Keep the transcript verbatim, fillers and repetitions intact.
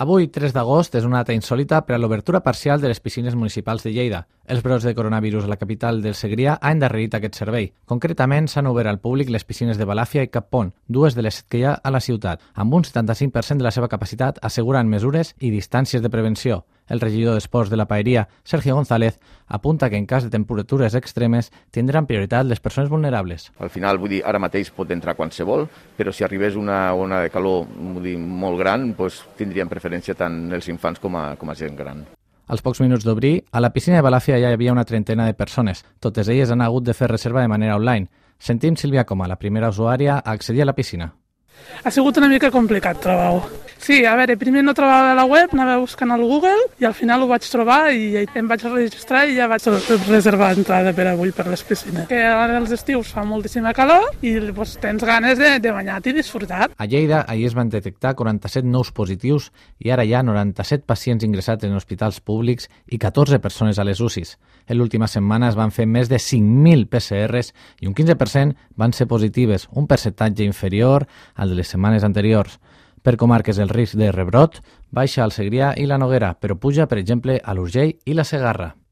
Avui, tres d'agost, és una data insòlita per a l'obertura parcial de les piscines municipals de Lleida. Els brots de coronavirus a la capital del Segrià han endarrerit aquest servei. Concretament, s'han obert al públic les piscines de Balàfia i Cap Pont, dues de les set que hi ha a la ciutat. Amb un setanta-cinc per cent de la seva capacitat asseguren mesures i distàncies de prevenció. El regidor d'Esports de la Paeria, Sergio González, apunta que en cas de temperatures extremes tindran prioritat les persones vulnerables. Al final, vull dir, ara mateix pot entrar qualsevol, però si arribés una ona de calor vull dir, molt gran, doncs tindrien preferència tant els infants com a, com a gent gran. Als pocs minuts d'obrir, a la piscina de Balàfia ja hi havia una trentena de persones. Totes elles han hagut de fer reserva de manera online. Sentim Sílvia Coma, la primera usuària a accedir a la piscina. Ha sigut una mica complicat, trobar-ho. Sí, a veure, primer no trobava la web, anava buscant al Google i al final ho vaig trobar i em vaig registrar i ja vaig reservar entrada per avui per les piscines. Que ara als estius fa moltíssima calor i doncs, tens ganes de, de banyar-te i disfrutar. A Lleida, ahir es van detectar quaranta-set nous positius i ara hi ha noranta-set pacients ingressats en hospitals públics i catorze persones a les U C Is. En l'última setmana es van fer més de cinc mil P C Rs i un quinze per cent van ser positives, un percentatge inferior al de les setmanes anteriors. Per comarques el risc de rebrot baixa al Segrià i la Noguera, però puja, per exemple, a l'Urgell i la Segarra.